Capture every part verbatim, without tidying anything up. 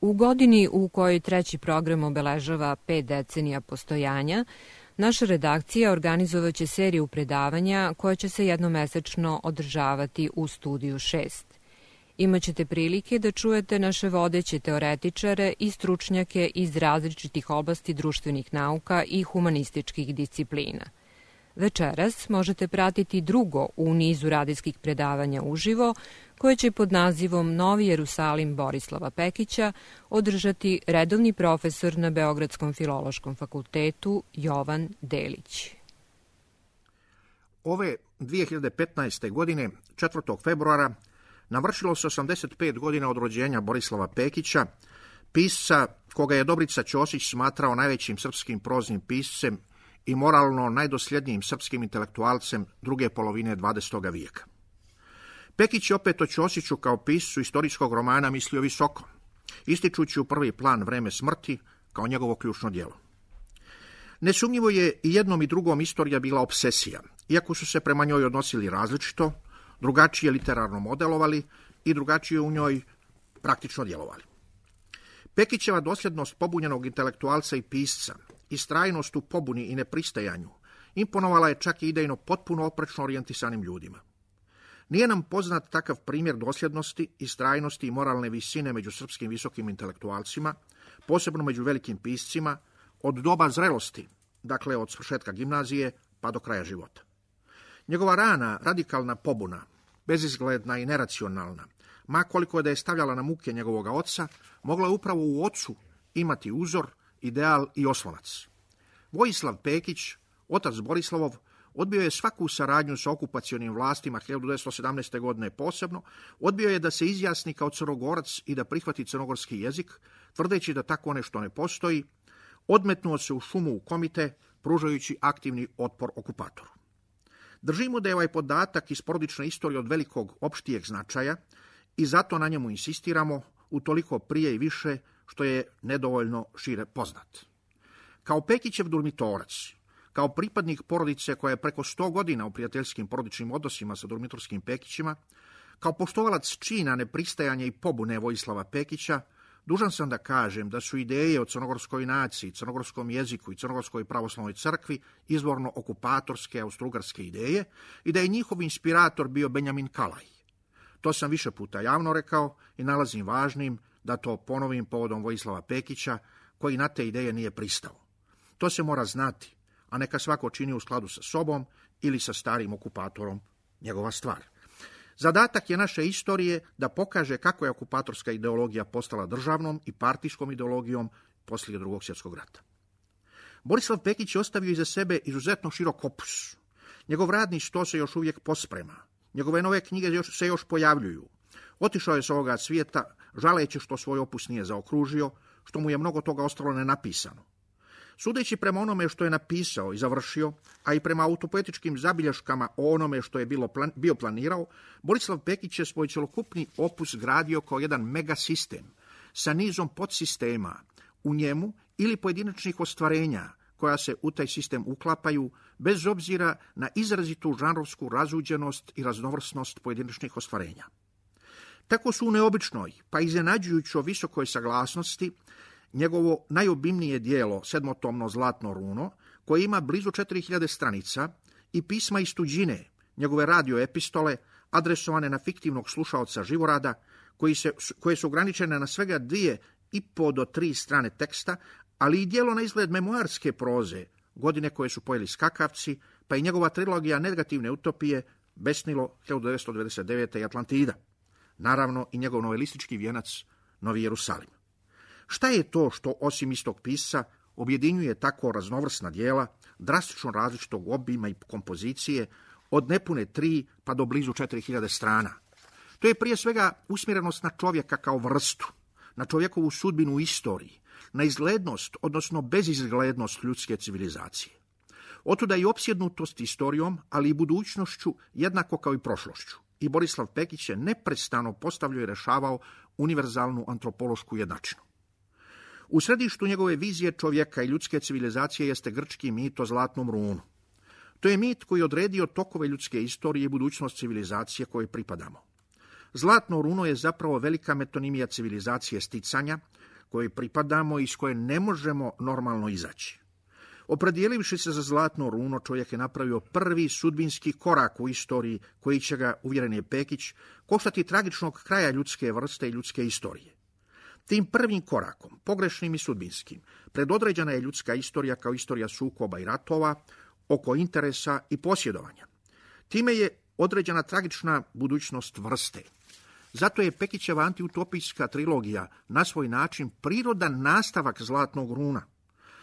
U godini u kojoj treći program obeležava pet decenija postojanja, naša redakcija organizovaće seriju predavanja koja će se jednomesečno održavati u Studiju šest. Imaćete prilike da čujete naše vodeće teoretičare i stručnjake iz različitih oblasti društvenih nauka i humanističkih disciplina. Večeras možete pratiti drugo u nizu radijskih predavanja uživo, koje će pod nazivom Novi Jerusalim Borislava Pekića održati redovni profesor na Beogradskom filološkom fakultetu Jovan Delić. Ove dvije hiljade petnaeste. godine, četvrtog februara, navršilo se osamdeset pet godina od rođenja Borislava Pekića, pisca koga je Dobrica Ćosić smatrao najvećim srpskim proznim piscem i moralno najdosljednijim srpskim intelektualcem druge polovine dvadesetog vijeka. Pekić je opet o Ćosiću kao piscu istorijskog romana mislio visoko, ističući u prvi plan Vreme smrti kao njegovo ključno djelo. Nesumnjivo je i jednom i drugom istorija bila obsesija, iako su se prema njoj odnosili različito, drugačije literarno modelovali i drugačije u njoj praktično djelovali. Pekićeva dosljednost pobunjenog intelektualca i pisca, istrajnost u pobuni i nepristajanju, imponovala je čak i idejno potpuno oprečno orijentisanim ljudima. Nije nam poznat takav primjer dosljednosti, istrajnosti i moralne visine među srpskim visokim intelektualcima, posebno među velikim piscima, od doba zrelosti, dakle od svršetka gimnazije pa do kraja života. Njegova rana, radikalna pobuna, bezizgledna i neracionalna, ma koliko da je stavljala na muke njegovoga oca, mogla je upravo u ocu imati uzor, ideal i oslonac. Vojislav Pekić, otac Borislavov, odbio je svaku saradnju sa okupacionim vlastima hiljadu devetsto sedamnaeste. godine posebno, odbio je da se izjasni kao Crnogorac i da prihvati crnogorski jezik, tvrdeći da tako nešto ne postoji, odmetnuo se u šumu u Komite, pružajući aktivni otpor okupatoru. Držimo da je ovaj podatak iz porodične istorije od velikog opštijeg značaja i zato na njemu insistiramo utoliko prije i više što je nedovoljno šire poznat. Kao Pekićev Durmitorac, kao pripadnik porodice koja je preko sto godina u prijateljskim porodičnim odnosima sa durmitorskim Pekićima, kao poštovalac čina nepristajanja i pobune Vojislava Pekića, dužan sam da kažem da su ideje o crnogorskoj naciji, crnogorskom jeziku i crnogorskoj pravoslavnoj crkvi izvorno okupatorske austrougarske ideje i da je njihov inspirator bio Benjamin Kalaj. To sam više puta javno rekao i nalazim važnim da to ponovim povodom Vojislava Pekića, koji na te ideje nije pristao. To se mora znati, a neka svako čini u skladu sa sobom ili sa starim okupatorom njegova stvar. Zadatak je naše istorije da pokaže kako je okupatorska ideologija postala državnom i partijskom ideologijom poslije Drugog svjetskog rata. Borislav Pekić je ostavio iza sebe izuzetno širok opus. Njegov radni sto se još uvijek posprema. Njegove nove knjige još, se još pojavljuju. Otišao je s ovoga svijeta, žaleći što svoj opus nije zaokružio, što mu je mnogo toga ostalo nenapisano. Sudeći prema onome što je napisao i završio, a i prema autopoetičkim zabilješkama o onome što je bilo plan, bio planirao, Borislav Pekić je svoj cjelokupni opus gradio kao jedan megasistem sa nizom podsistema u njemu ili pojedinačnih ostvarenja koja se u taj sistem uklapaju bez obzira na izrazitu žanrovsku razuđenost i raznovrsnost pojedinačnih ostvarenja. Tako su u neobičnoj, pa iznenađujućoj visokoj saglasnosti njegovo najobimnije dijelo, sedmotomno Zlatno runo, koje ima blizu četiri hiljade stranica, i pisma iz tuđine, njegove radioepistole, adresovane na fiktivnog slušaoca Živorada, koji se, koje su ograničene na svega dvije i po do tri strane teksta, ali i dijelo na izgled memoarske proze, godine koje su pojeli skakavci, pa i njegova trilogija Negativne utopije, Besnilo hiljadu devetsto devedeset devete. i Atlantida. Naravno i njegov novelistički vijenac Novi Jerusalim. Šta je to što, osim istog pisca, objedinjuje tako raznovrsna dijela, drastično različitog obima i kompozicije, od nepune tri pa do blizu četiri hiljade strana? To je prije svega usmjerenost na čovjeka kao vrstu, na čovjekovu sudbinu u istoriji, na izglednost, odnosno bezizglednost ljudske civilizacije. Otuda i opsjednutost istorijom, ali i budućnošću, jednako kao i prošlošću. I Borislav Pekić je neprestano postavljao i rešavao univerzalnu antropološku jednačinu. U središtu njegove vizije čovjeka i ljudske civilizacije jeste grčki mit o Zlatnom runu. To je mit koji je odredio tokove ljudske istorije i budućnost civilizacije kojoj pripadamo. Zlatno runo je zapravo velika metonimija civilizacije sticanja, kojoj pripadamo i iz koje ne možemo normalno izaći. Opredijelivši se za zlatno runo, čovjek je napravio prvi sudbinski korak u istoriji koji će ga, uvjeren je Pekić, koštati tragičnog kraja ljudske vrste i ljudske istorije. Tim prvim korakom, pogrešnim i sudbinskim, predodređena je ljudska istorija kao istorija sukoba i ratova, oko interesa i posjedovanja. Time je određena tragična budućnost vrste. Zato je Pekićeva antiutopijska trilogija na svoj način prirodan nastavak zlatnog runa.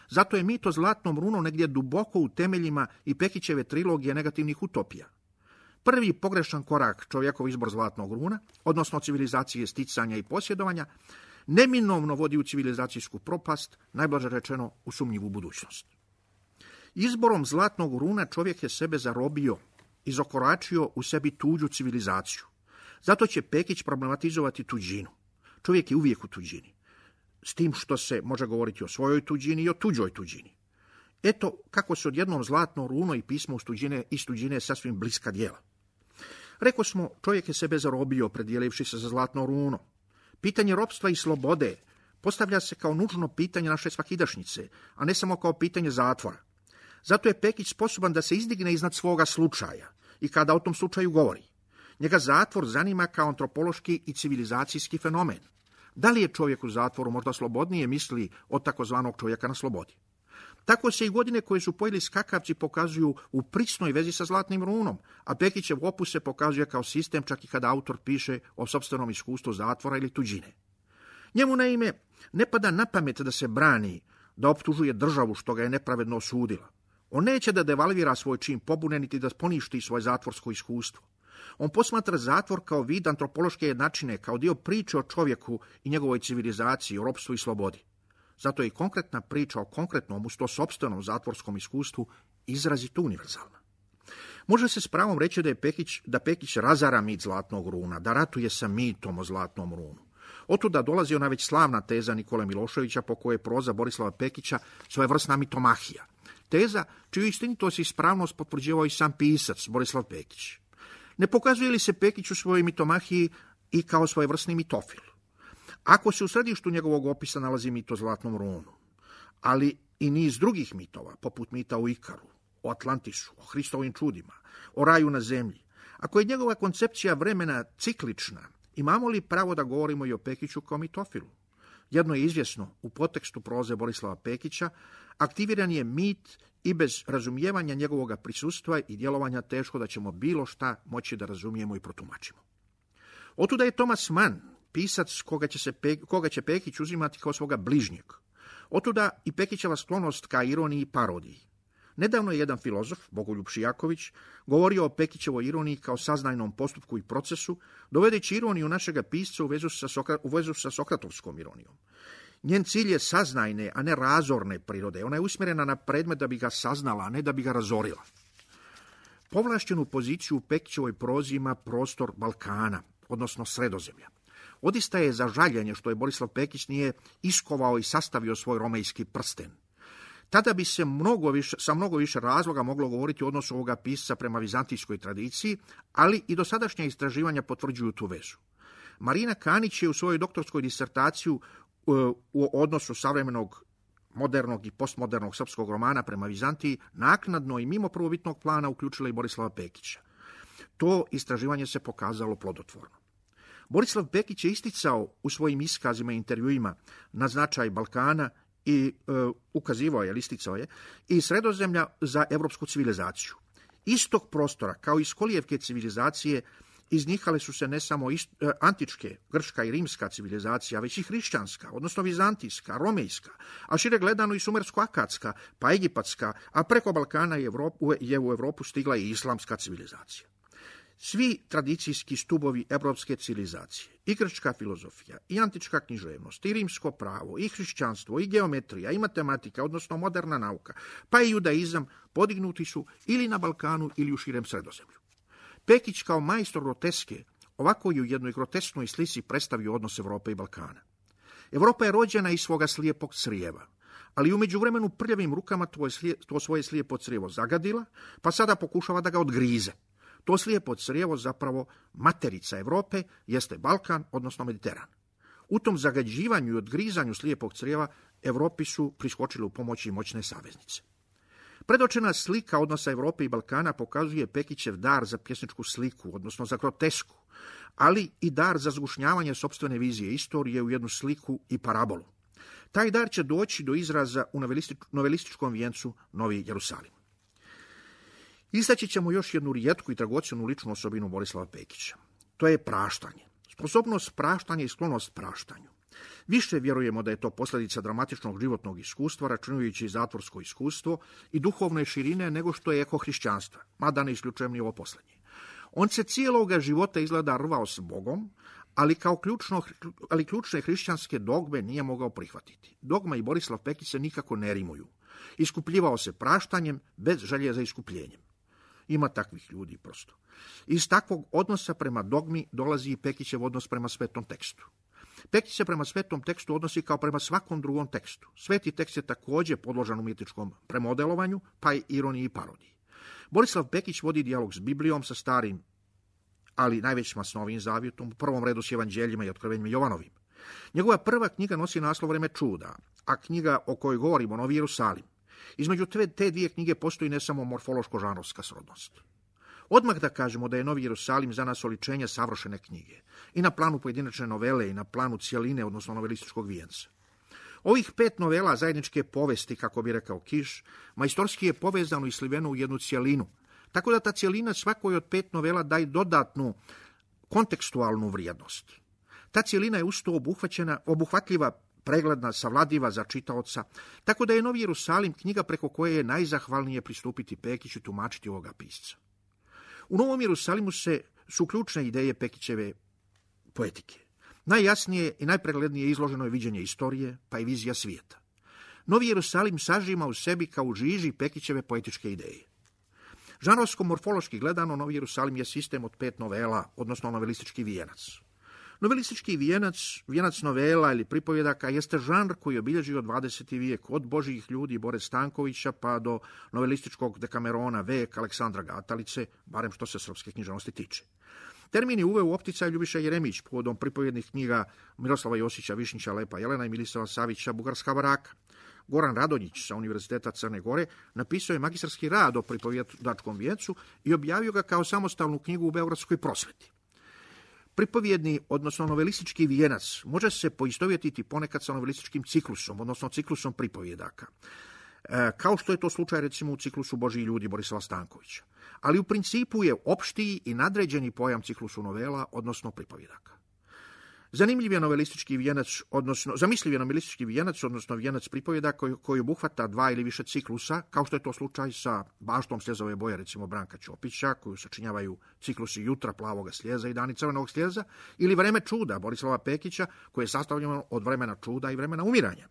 Zato je mit o zlatnom runu negdje duboko u temeljima i Pekićeve trilogije negativnih utopija. Prvi pogrešan korak, čovjekov izbor zlatnog runa, odnosno civilizacije sticanja i posjedovanja, neminovno vodi u civilizacijsku propast, najblaže rečeno u sumnjivu budućnost. Izborom zlatnog runa čovjek je sebe zarobio, izokoračio u sebi tuđu civilizaciju. Zato će Pekić problematizovati tuđinu. Čovjek je uvijek u tuđini. S tim što se može govoriti o svojoj tuđini i o tuđoj tuđini. Eto kako se odjednom zlatno runo i pismo iz tuđine, iz tuđine sasvim bliska djela. Reko smo, čovjek je sebe zarobio, predijelivši se za zlatno runo. Pitanje ropstva i slobode postavlja se kao nužno pitanje naše svakidašnjice, a ne samo kao pitanje zatvora. Zato je Pekić sposoban da se izdigne iznad svoga slučaja i kada o tom slučaju govori. Njega zatvor zanima kao antropološki i civilizacijski fenomen. Da li je čovjek u zatvoru možda slobodnije misli od takozvanog čovjeka na slobodi? Tako se i godine koje su pojeli skakavci pokazuju u prisnoj vezi sa zlatnim runom, a Pekićev opus se pokazuje kao sistem čak i kada autor piše o sopstvenom iskustvu zatvora ili tuđine. Njemu naime ne pada na pamet da se brani, da optužuje državu što ga je nepravedno osudila. On neće da devalvira svoj čin pobune niti da poništi svoje zatvorsko iskustvo. On posmatra zatvor kao vid antropološke jednačine, kao dio priče o čovjeku i njegovoj civilizaciji, o ropstvu i slobodi. Zato je i konkretna priča o konkretnom, uz to sopstvenom zatvorskom iskustvu izrazito univerzalna. Može se s pravom reći da je Pekić, da Pekić razara mit zlatnog runa, da ratuje sa mitom o zlatnom runu. Otuda dolazi ona već slavna teza Nikole Miloševića po kojoj je proza Borislava Pekića svojevrsna mitomahija. Teza čiju istinitost i ispravnost potvrđivao i sam pisac Borislav Pekić. Ne pokazuje li se Pekić u svojoj mitomahiji i kao svojevrsni mitofil? Ako se u središtu njegovog opisa nalazi mit o zlatnom runu, ali i niz drugih mitova, poput mita o Ikaru, o Atlantisu, o Hristovim čudima, o raju na zemlji, ako je njegova koncepcija vremena ciklična, imamo li pravo da govorimo i o Pekiću kao mitofilu? Jedno je izvjesno, u podtekstu proze Borislava Pekića aktiviran je mit i bez razumijevanja njegovog prisustva i djelovanja teško da ćemo bilo šta moći da razumijemo i protumačimo. Otuda je Thomas Mann, pisac koga će, se, koga će Pekić uzimati kao svoga bližnjeg. Otuda i Pekićeva sklonost ka ironiji i parodiji. Nedavno je jedan filozof, Bogoljub Šijaković, govorio o Pekićevoj ironiji kao saznajnom postupku i procesu, dovedeći ironiju našega pisca u vezu sa, Sokra, u vezu sa sokratovskom ironijom. Njen cilj je saznajne, a ne razorne prirode. Ona je usmjerena na predmet da bi ga saznala, a ne da bi ga razorila. Povlašćenu poziciju u Pekićevoj prozi ima prostor Balkana, odnosno Sredozemlja. Odista je za žaljenje što je Borislav Pekić nije iskovao i sastavio svoj romejski prsten. Tada bi se mnogo više, sa mnogo više razloga moglo govoriti o odnosu ovoga pisca prema vizantijskoj tradiciji, ali i dosadašnja istraživanja potvrđuju tu vezu. Marina Kanić je u svojoj doktorskoj disertaciju u odnosu savremenog, modernog i postmodernog srpskog romana prema Vizantiji naknadno i mimo prvobitnog plana uključila i Borislava Pekića. To istraživanje se pokazalo plodotvorno. Borislav Pekić je isticao u svojim iskazima i intervjuima na značaj Balkana i e, ukazivao je, isticao je, i Sredozemlja za evropsku civilizaciju. Iz tog prostora, kao iz kolijevke civilizacije, iznihale su se ne samo ist, e, antičke, grčka i rimska civilizacija, već i hrišćanska, odnosno vizantijska, romejska, a šire gledano i sumersko-akatska, pa egipatska, a preko Balkana je, Evropu, je u Evropu stigla i islamska civilizacija. Svi tradicijski stubovi evropske civilizacije, i grčka filozofija, i antička književnost, i rimsko pravo, i hrišćanstvo, i geometrija, i matematika, odnosno moderna nauka, pa i judaizam, podignuti su ili na Balkanu ili u širem Sredozemlju. Pekić kao majstor groteske ovako je u jednoj grotesknoj slici predstavio odnos Evrope i Balkana. Evropa je rođena iz svoga slijepog crijeva, ali u međuvremenu prljavim rukama to, slije, to svoje slijepo crijevo zagadila, pa sada pokušava da ga odgrize. To slijepo crijevo, zapravo materica Evrope, jeste Balkan, odnosno Mediteran. U tom zagađivanju i odgrizanju slijepog crijeva Evropi su priskočili u pomoći moćne saveznice. Predočena slika odnosa Evrope i Balkana pokazuje Pekićev dar za pjesničku sliku, odnosno za grotesku, ali i dar za zgušnjavanje sopstvene vizije istorije u jednu sliku i parabolu. Taj dar će doći do izraza u novelističkom vijencu Novi Jerusalim. Istaći ćemo još jednu rijetku i dragocjenu ličnu osobinu Borislava Pekića. To je praštanje. Sposobnost praštanja i sklonost praštanju. Više vjerujemo da je to posljedica dramatičnog životnog iskustva, računajući zatvorsko iskustvo i duhovne širine nego što je eko hrišćanstva, mada ne isključujem ni ovo posljednje. On se cijeloga života izgleda rvao s Bogom, ali kao ključno, ali ključne hrišćanske dogme nije mogao prihvatiti. Dogma i Borislav Pekić se nikako ne rimuju. Iskupljivao se praštanjem bez želje za iskupljenjem. Ima takvih ljudi prosto. Iz takvog odnosa prema dogmi dolazi i Pekićev odnos prema svetom tekstu. Pekić se prema svetom tekstu odnosi kao prema svakom drugom tekstu. Sveti tekst je također podložan umjetničkom premodelovanju, pa i ironiji i parodiji. Borislav Pekić vodi dijalog s Biblijom, sa starim, ali najvećima s Novim zavjetom, u prvom redu s evanđeljima i otkrivenjima Jovanovim. Njegova prva knjiga nosi naslov Vreme čuda, a knjiga o kojoj govorimo, Novi Jerusalim. Između te, te dvije knjige postoji ne samo morfološko-žanrovska srodnost. Odmah da kažemo da je Novi Jerusalim za nas oličenje savršene knjige. I na planu pojedinačne novele i na planu cijeline, odnosno novelističkog vijenca. Ovih pet novela zajedničke povesti, kako bi rekao Kiš, majstorski je povezano i sliveno u jednu cijelinu. Tako da ta cijelina svakoj od pet novela daje dodatnu kontekstualnu vrijednost. Ta cijelina je usto obuhvaćena, obuhvatljiva, pregledna, savladiva za čitaoca, tako da je Novi Jerusalim knjiga preko koje je najzahvalnije pristupiti Pekiću i tumačiti ovoga pisca. U Novom Jerusalimu se su ključne ideje Pekićeve poetike. Najjasnije i najpreglednije izloženo je viđenje istorije, pa i vizija svijeta. Novi Jerusalim sažima u sebi kao u žiži Pekićeve poetičke ideje. Žanrovsko-morfološki gledano, Novi Jerusalim je sistem od pet novela, odnosno novelistički vijenac. Novelistički vijenac, vijenac novela ili pripovjedaka jeste žanr koji je obilježio dvadeseti vijek od Božjih ljudi Bore Stankovića pa do novelističkog Dekamerona Vek Aleksandra Gatalice, barem što se srpske književnosti tiče. Termin je uveo u opticaj Ljubiša Jeremić povodom pripovjednih knjiga Miroslava Josića, Višnjića, Lepa Jelena i Milisava Savića, Bugarska baraka. Goran Radonjić sa Univerziteta Crne Gore napisao je magistarski rad o pripovjedačkom vijencu i objavio ga kao samostalnu knjigu u Beogradskoj prosveti. Pripovjedni, odnosno novelistički vijenac, može se poistovjetiti ponekad sa novelističkim ciklusom, odnosno ciklusom pripovjedaka, e, kao što je to slučaj recimo u ciklusu Božji ljudi Borislava Stankovića. Ali u principu je opštiji i nadređeni pojam ciklusu novela, odnosno pripovjedaka. Zanimljiv je novelistički vijenac, odnosno, zamisliv je novelistički vijenac, odnosno vijenac pripovjeda koji, koji obuhvata dva ili više ciklusa, kao što je to slučaj sa Baštom sljezove boje, recimo Branka Ćopića, koju sačinjavaju ciklusi Jutra plavoga sljeza i Dani crvenog sljeza, ili Vreme čuda Borislava Pekića, koje je sastavljeno od vremena čuda i vremena umiranja.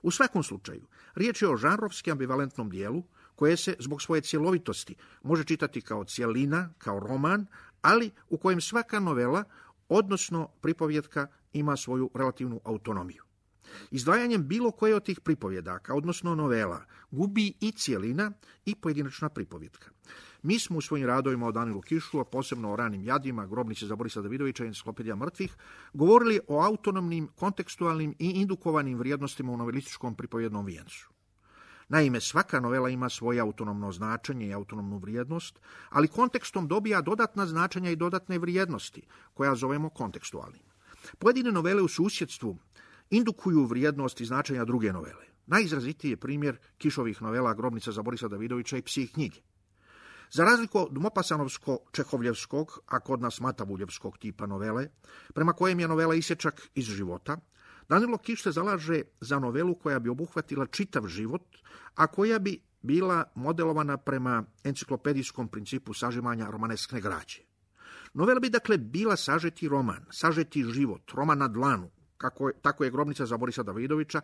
U svakom slučaju, riječ je o žanrovski ambivalentnom dijelu, koje se zbog svoje cjelovitosti može čitati kao cijelina, kao roman, ali u kojem svaka novela, odnosno pripovjetka, ima svoju relativnu autonomiju. Izdvajanjem bilo koje od tih pripovjedaka, odnosno novela, gubi i cijelina i pojedinačna pripovjetka. Mi smo u svojim radovima o Danilu Kišu, a posebno o Ranim jadima, Grobnice za Borisa Davidovića i Enciklopedija mrtvih, govorili o autonomnim, kontekstualnim i indukovanim vrijednostima u novelističkom pripovjednom vijencu. Naime, svaka novela ima svoje autonomno značenje i autonomnu vrijednost, ali kontekstom dobija dodatna značenja i dodatne vrijednosti, koja zovemo kontekstualnim. Pojedine novele u susjedstvu indukuju vrijednost i značenja druge novele. Najizrazitiji je primjer Kišovih novela Grobnica za Borisa Davidovića i Psi knjige. Za razliku od Mopasanovsko-Čehovljevskog, a kod nas Matavuljevskog tipa novele, prema kojem je novela isječak iz života, Danilo Kiš se zalaže za novelu koja bi obuhvatila čitav život, a koja bi bila modelovana prema enciklopedijskom principu sažimanja romaneskne građe. Novela bi dakle bila sažeti roman, sažeti život, roman na dlanu, kako je, tako je Grobnica za Borisa Davidovića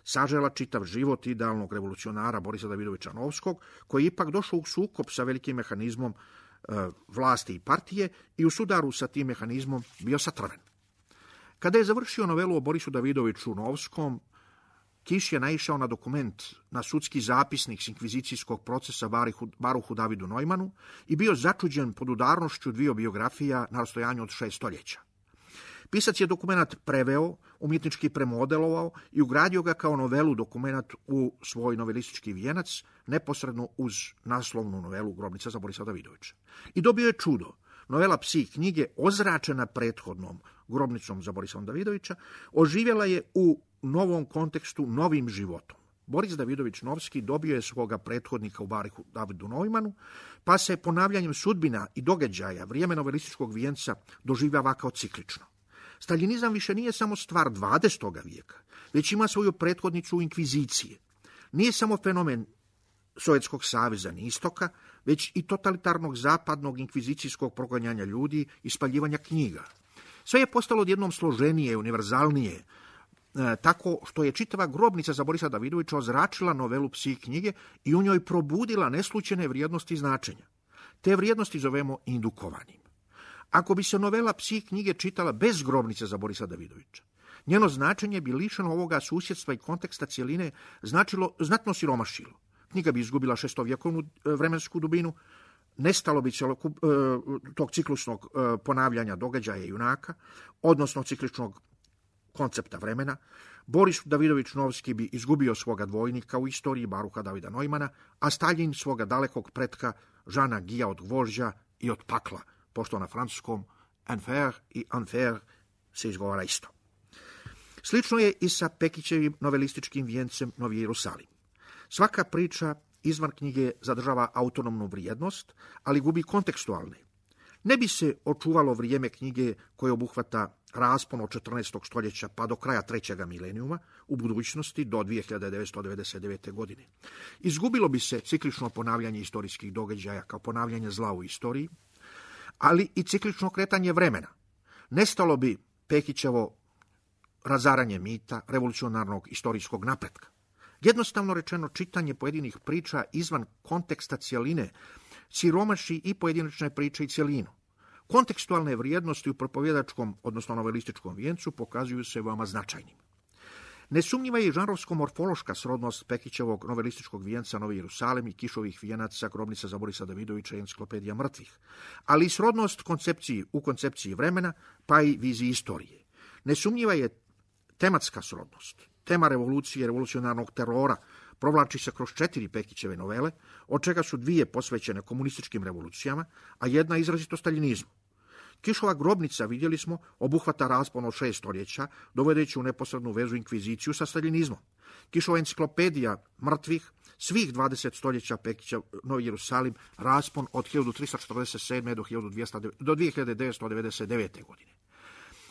sažela čitav život idealnog revolucionara Borisa Davidovića Novskog, koji je ipak došao u sukob sa velikim mehanizmom e, vlasti i partije i u sudaru sa tim mehanizmom bio satrven. Kada je završio novelu o Borisu Davidoviću Novskom, Kiš je naišao na dokument, na sudski zapisnik s inkvizicijskog procesa Baruhu Davidu Neumanu i bio začuđen pod udarnošću dviju biografija na rastojanju od šest stoljeća. Pisac je dokumenat preveo, umjetnički premodelovao i ugradio ga kao novelu dokumenat u svoj novelistički vijenac, neposredno uz naslovnu novelu Grobnica za Borisa Davidovića. I dobio je čudo. Novela Psi knjige, ozračena prethodnom Grobnicom za Borisa Davidovića, oživjela je u novom kontekstu, novim životom. Boris Davidović Novski dobio je svoga prethodnika u barihu Davidu Neumanu, pa se ponavljanjem sudbina i događaja vrijeme novelističkog vijenca doživljava kao ciklično. Staljinizam više nije samo stvar dvadesetog vijeka, već ima svoju prethodnicu u inkviziciji. Nije samo fenomen Sovjetskog saveza ni istoka, već i totalitarnog zapadnog inkvizicijskog proganjanja ljudi i spaljivanja knjiga. Sve je postalo odjednom složenije, univerzalnije, e, tako što je čitava Grobnica za Borisa Davidovića ozračila novelu Psi knjige i u njoj probudila neslućene vrijednosti i značenja. Te vrijednosti zovemo indukovanim. Ako bi se novela Psi knjige čitala bez Grobnice za Borisa Davidovića, njeno značenje bi lišeno ovoga susjedstva i konteksta cjeline značilo, znatno siromašilo. Knjiga bi izgubila šestovjekovnu vremensku dubinu, nestalo bi cjelokup, tog ciklusnog ponavljanja događaja junaka, odnosno cikličnog koncepta vremena. Boris Davidović Novski bi izgubio svoga dvojnika u istoriji baruha Davida Neumana, a Staljin svoga dalekog pretka Žana Gija od gvožđa i od pakla, pošto na francuskom enfer i enfer se izgovara isto. Slično je i sa Pekićevim novelističkim vijencem Novi Jerusalim. Svaka priča izvan knjige zadržava autonomnu vrijednost, ali gubi kontekstualne. Ne bi se očuvalo vrijeme knjige koje obuhvata raspon od četrnaestog stoljeća pa do kraja trećega milenijuma u budućnosti do dvije hiljade devetsto devedeset devete. godine. Izgubilo bi se ciklično ponavljanje istorijskih događaja kao ponavljanje zla u istoriji, ali i ciklično kretanje vremena. Nestalo bi Pekićevo razaranje mita, revolucionarnog istorijskog napretka. Jednostavno rečeno, čitanje pojedinih priča izvan konteksta cjeline siromaši i pojedinačne priče i cjelinu. Kontekstualne vrijednosti u propovjedačkom, odnosno novelističkom vijencu pokazuju se veoma značajnim. Nesumnjiva je i žanrovsko-morfološka srodnost Pekićevog novelističkog vijenca Novi Jerusalim i Kišovih vijenaca Grobnica za Borisa Davidovića i Enciklopedija mrtvih, ali i srodnost koncepciji u koncepciji vremena, pa i viziji istorije. Nesumnjiva je tematska srodnost. Tema revolucije i revolucionarnog terora provlači se kroz četiri Pekićeve novele, od čega su dvije posvećene komunističkim revolucijama, a jedna izrazito staljinizmu. Kišova Grobnica, vidjeli smo, obuhvata raspon od šest stoljeća, dovodeći u neposrednu vezu inkviziciju sa staljinizmom. Kišova Enciklopedija mrtvih, svih dvadeset stoljeća Pekića Novi Jerusalim, raspon od hiljadu tristo četrdeset sedme. do dvije hiljade devetsto devedeset devete. godine.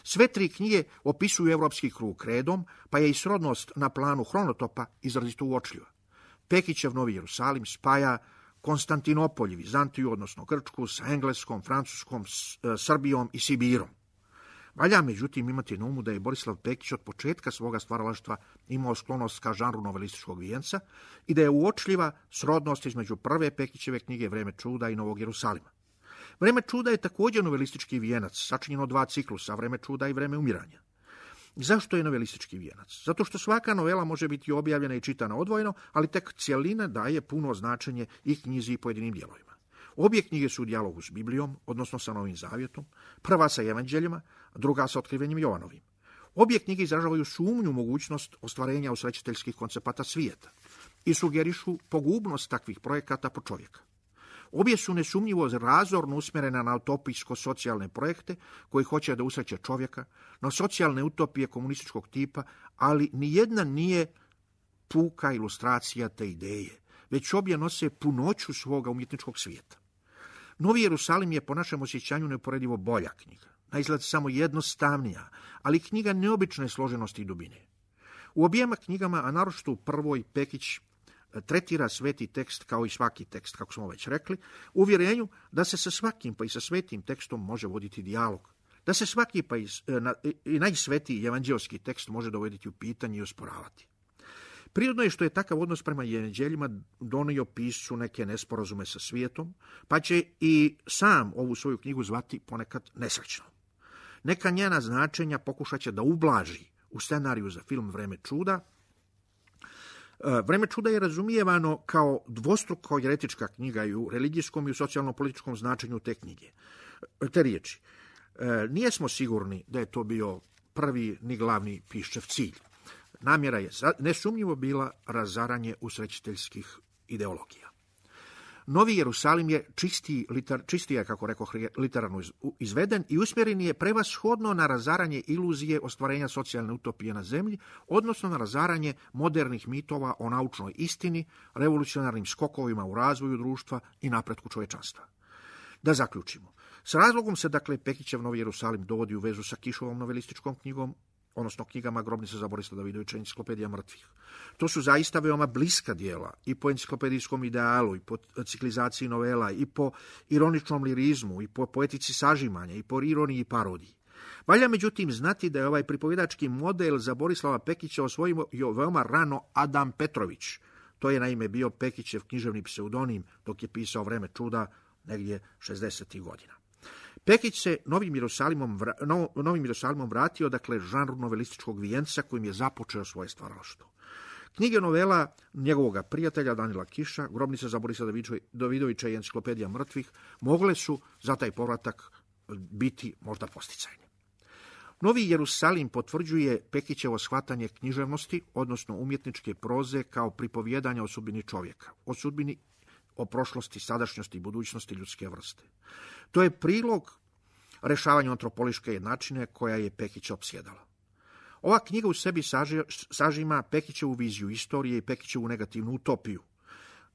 Sve tri knjige opisuju evropski krug redom, pa je i srodnost na planu hronotopa izrazito uočljiva. Pekićev Novi Jerusalim spaja Konstantinopolj i Vizantiju, odnosno Grčku, sa Engleskom, Francuskom, Srbijom i Sibirom. Valja međutim imati na umu da je Borislav Pekić od početka svoga stvaralaštva imao sklonost ka žanru novelističkog vijenca i da je uočljiva srodnost između prve Pekićeve knjige Vreme čuda i Novog Jerusalima. Vreme čuda je također novelistički vijenac, sačinjen od dva ciklusa, Vreme čuda i Vreme umiranja. Zašto je novelistički vijenac? Zato što svaka novela može biti objavljena i čitana odvojeno, ali tek cjelina daje puno značenje i knjizi i pojedinim dijelovima. Obje knjige su u dijalogu s Biblijom, odnosno sa Novim Zavjetom, prva sa evanđeljima, druga sa otkrivenjem Jovanovim. Obje knjige izražavaju sumnju mogućnost ostvarenja usrećiteljskih koncepata svijeta i sugerišu pogubnost takvih projekata po čovjeka. Obje su nesumnjivo razorno usmjerene na utopijsko-socijalne projekte koji hoće da usreće čovjeka, na socijalne utopije komunističkog tipa, ali nijedna nije puka ilustracija te ideje, već obje nose punoću svoga umjetničkog svijeta. Novi Jerusalim je po našem osjećanju neuporedivo bolja knjiga, na izgled samo jednostavnija, ali knjiga neobične složenosti i dubine. U objema knjigama, a naročito u prvoj, Pekić tretira sveti tekst kao i svaki tekst, kako smo već rekli, u uvjerenju da se sa svakim pa i sa svetim tekstom može voditi dijalog, da se svaki pa i, i najsvetiji evanđeoski tekst može dovoditi u pitanje i osporavati. Prirodno je što je takav odnos prema evanđeljima donio piscu neke nesporazume sa svijetom, pa će i sam ovu svoju knjigu zvati ponekad nesrećno. Neka njena značenja pokušat će da ublaži u scenariju za film Vreme čuda. Vreme čuda je razumijevano kao dvostruko jeretička knjiga i u religijskom i u socijalno-političkom značenju te knjige. Te riječi. E, nijesmo sigurni da je to bio prvi ni glavni Piščev cilj. Namjera je nesumnjivo bila razaranje usrećiteljskih ideologija. Novi Jerusalim je čistiji, liter, čistije, kako rekoh, literarno izveden i usmjeren je prevashodno na razaranje iluzije ostvarenja socijalne utopije na zemlji, odnosno na razaranje modernih mitova o naučnoj istini, revolucionarnim skokovima u razvoju društva i napretku čovječanstva. Da zaključimo. S razlogom se, dakle, Pekićev Novi Jerusalim dovodi u vezu sa Kišovom novelističkom knjigom, odnosno knjigama Grobnica za Borisa Davidovića i Enciklopedija mrtvih. To su zaista veoma bliska dijela i po enciklopedijskom idealu, i po ciklizaciji novela, i po ironičnom lirizmu, i po poetici sažimanja, i po ironiji i parodiji. Valja međutim znati da je ovaj pripovjedački model za Borislava Pekića osvojio veoma rano Adam Petrović. To je naime bio Pekićev književni pseudonim dok je pisao Vreme čuda negdje šezdesetih godina. Pekić se Novim Jerusalimom, vra, no, Novim Jerusalimom vratio, dakle, žanru novelističkog vijenca kojim je započeo svoje stvaralaštvo. Knjige novela njegovog prijatelja Danila Kiša, Grobnica za Borisa Davidovića i Enciklopedija mrtvih, mogle su za taj povratak biti možda posticajne. Novi Jerusalim potvrđuje Pekićevo shvatanje književnosti, odnosno umjetničke proze kao pripovjedanja o sudbini čovjeka, o sudbini o prošlosti, sadašnjosti i budućnosti ljudske vrste. To je prilog rešavanju antropološke jednačine koja je Pekića opsjedala. Ova knjiga u sebi saži, sažima Pekićevu viziju istorije i Pekićevu negativnu utopiju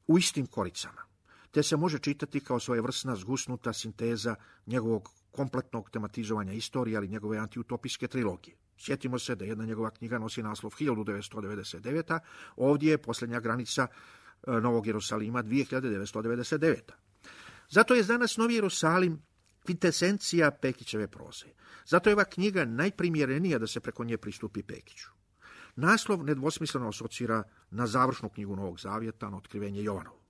u istim koricama, te se može čitati kao svojevrsna zgusnuta sinteza njegovog kompletnog tematizovanja istorije, ali njegove antiutopijske trilogije. Sjetimo se da jedna njegova knjiga nosi naslov hiljadu devetsto devedeset deveta, ovdje je posljednja granica Novog Jerusalima dvije hiljade devetsto devedeset deveta. Zato je danas Novi Jerusalim kvitesencija Pekićeve proze. Zato je ova knjiga najprimjerenija da se preko nje pristupi Pekiću. Naslov nedvosmisleno asocira na završnu knjigu Novog Zavjeta, na otkrivenje Jovanovo.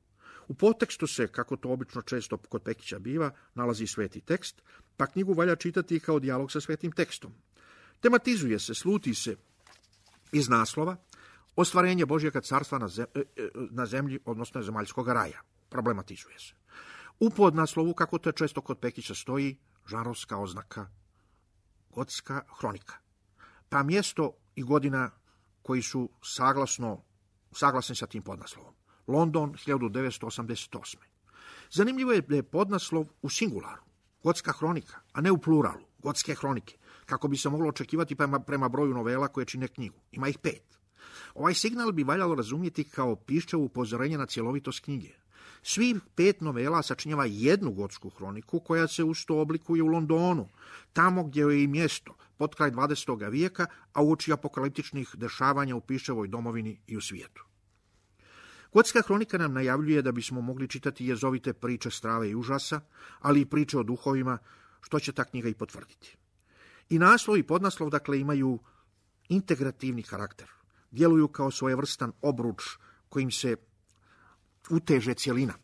U podtekstu se, kako to obično često kod Pekića biva, nalazi sveti tekst, pa knjigu valja čitati kao dijalog sa svetim tekstom. Tematizuje se, sluti se iz naslova ostvarenje Božjega carstva na, zem, na zemlji, odnosno zemaljskog raja. Problematizuje se. U podnaslovu, kako to često kod Pekića stoji, žanrovska oznaka gotska hronika. Pa mjesto i godina koji su saglasno, saglasni sa tim podnaslovom. London, hiljadu devetsto osamdeset osme. Zanimljivo je da je podnaslov u singularu, gotska hronika, a ne u pluralu, gotske hronike, kako bi se moglo očekivati prema, prema broju novela koje čine knjigu. Ima ih pet. Ovaj signal bi valjalo razumjeti kao Piščevo upozorenje na cjelovitost knjige. Svih pet novela sačinjava jednu gotsku hroniku koja se usto oblikuje u Londonu, tamo gdje je i mjesto, pod kraj dvadesetog vijeka, a uoči apokaliptičnih dešavanja u Piščevoj domovini i u svijetu. Gotska hronika nam najavljuje da bismo mogli čitati jezovite priče strave i užasa, ali i priče o duhovima, što će ta knjiga i potvrditi. I naslov i podnaslov, dakle, imaju integrativni karakter. Djeluju kao svojevrstan obruč kojim se uteže cjelina.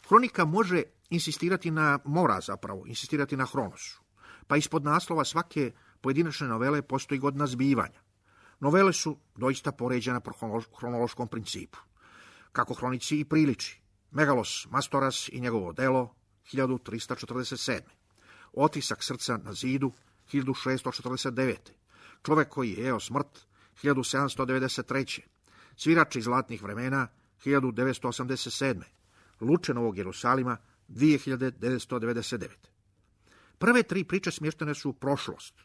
Hronika može insistirati na, mora zapravo, insistirati na hronosu. Pa ispod naslova svake pojedinačne novele postoji godina zbivanja. Novele su doista poređene po hronološkom principu, kako hronici i priliči. Megalos Mastoras i njegovo delo, hiljadu tristo četrdeset sedme. Otisak srca na zidu, hiljadu šesto četrdeset devete. Čovjek koji je jeo smrt, hiljadu sedamsto devedeset treće. Svirač iz zlatnih vremena, hiljadu devetsto osamdeset sedme. Luče Novog Jerusalima, dvije hiljade devetsto devedeset devete. Prve tri priče smještene su u prošlost.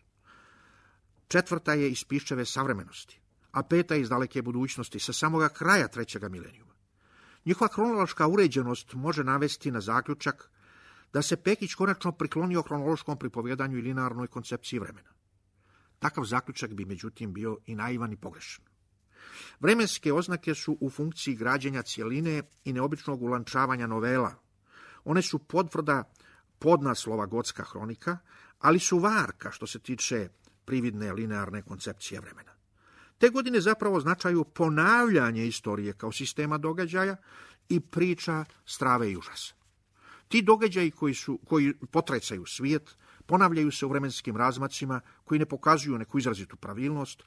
Četvrta je iz Piščeve savremenosti, a peta iz daleke budućnosti sa samoga kraja trećega milenijuma. Njihova hronološka uređenost može navesti na zaključak da se Pekić konačno priklonio hronološkom pripovjedanju i linearnoj koncepciji vremena. Takav zaključak bi međutim bio i naivan i pogrešan. Vremenske oznake su u funkciji građenja cjeline i neobičnog ulančavanja novela. One su potvrda podnaslova gotska hronika, ali su varka što se tiče prividne linearne koncepcije vremena. Te godine zapravo značaju ponavljanje istorije kao sistema događaja i priča strave i užasa. Ti događaji koji, su, koji potrecaju svijet ponavljaju se u vremenskim razmacima koji ne pokazuju neku izrazitu pravilnost,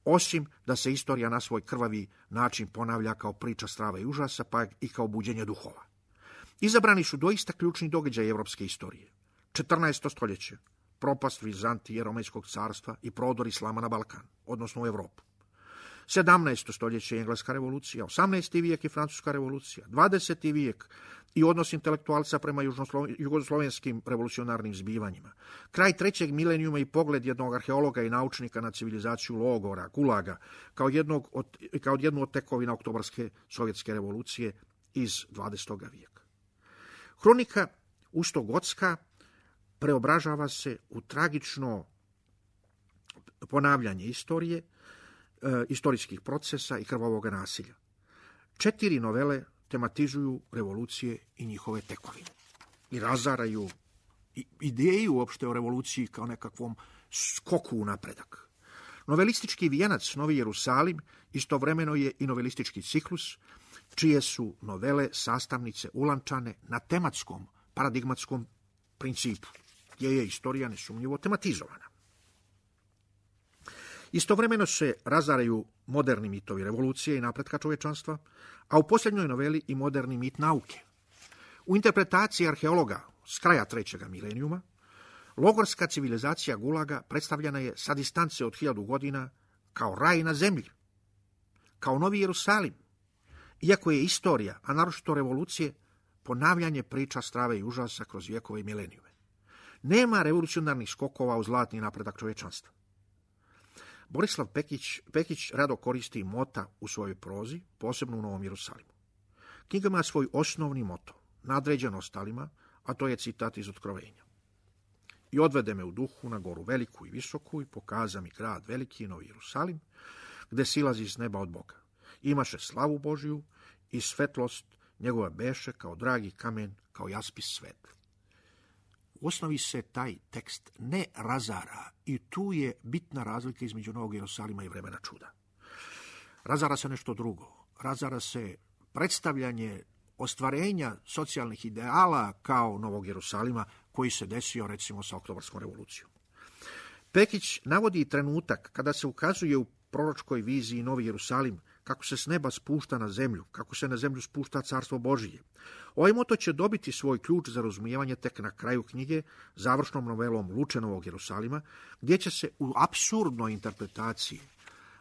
osim da se istorija na svoj krvavi način ponavlja kao priča strave i užasa, pa i kao buđenje duhova. Izabrani su doista ključni događaji europske istorije. četrnaesto stoljeće, propast Vizantije, Romejskog carstva i prodor islama na Balkan, odnosno u Europu. sedamnaesto stoljeće Engleska revolucija, osamnaesti vijek i Francuska revolucija, dvadeseti vijek i odnos intelektualca prema jugoslovenskim revolucionarnim zbivanjima, kraj trećeg milenijuma i pogled jednog arheologa i naučnika na civilizaciju logora, gulaga, kao, jednog od, kao jednu od tekovina oktobarske sovjetske revolucije iz dvadesetog vijeka. Hronika Ustogotska preobražava se u tragično ponavljanje istorije, e, istorijskih procesa i krvavog nasilja. Četiri novele tematizuju revolucije i njihove tekovine i razaraju ideju uopšte o revoluciji kao nekakvom skoku u napredak. Novelistički vijenac Novi Jerusalim istovremeno je i novelistički ciklus, čije su novele sastavnice ulančane na tematskom, paradigmatskom principu, gdje je istorija nesumnjivo tematizovana. Istovremeno se razaraju moderni mitovi revolucije i napretka čovječanstva, a u posljednjoj noveli i moderni mit nauke. U interpretaciji arheologa s kraja trećeg milenijuma, logorska civilizacija Gulaga predstavljena je sa distance od hiljadu godina kao raj na zemlji, kao Novi Jerusalim, iako je istorija, a naročito revolucije, ponavljanje priča strave i užasa kroz vjekove i milenijume. Nema revolucionarnih skokova u zlatni napredak čovječanstva. Borislav Pekić, Pekić rado koristi mota u svojoj prozi, posebno u Novom Jerusalimu. Knjiga ima svoj osnovni moto, nadređen ostalima, a to je citat iz Otkrovenja. I odvede me u duhu na goru veliku i visoku i pokaza mi grad veliki, Novi Jerusalim, gde silazi s neba od Boga. Imaše slavu Božiju i svetlost njegova beše kao dragi kamen, kao jaspis svetli. U osnovi se taj tekst ne razara i tu je bitna razlika između Novog Jerusalima i vremena čuda. Razara se nešto drugo. Razara se predstavljanje ostvarenja socijalnih ideala kao Novog Jerusalima koji se desio recimo sa Oktobarskom revolucijom. Pekić navodi trenutak kada se ukazuje u proročkoj viziji Novi Jerusalim kako se s neba spušta na zemlju, kako se na zemlju spušta carstvo Božije. Ovaj moto će dobiti svoj ključ za razumijevanje tek na kraju knjige, završnom novelom Luče Novog Jerusalima, gdje će se u apsurdnoj interpretaciji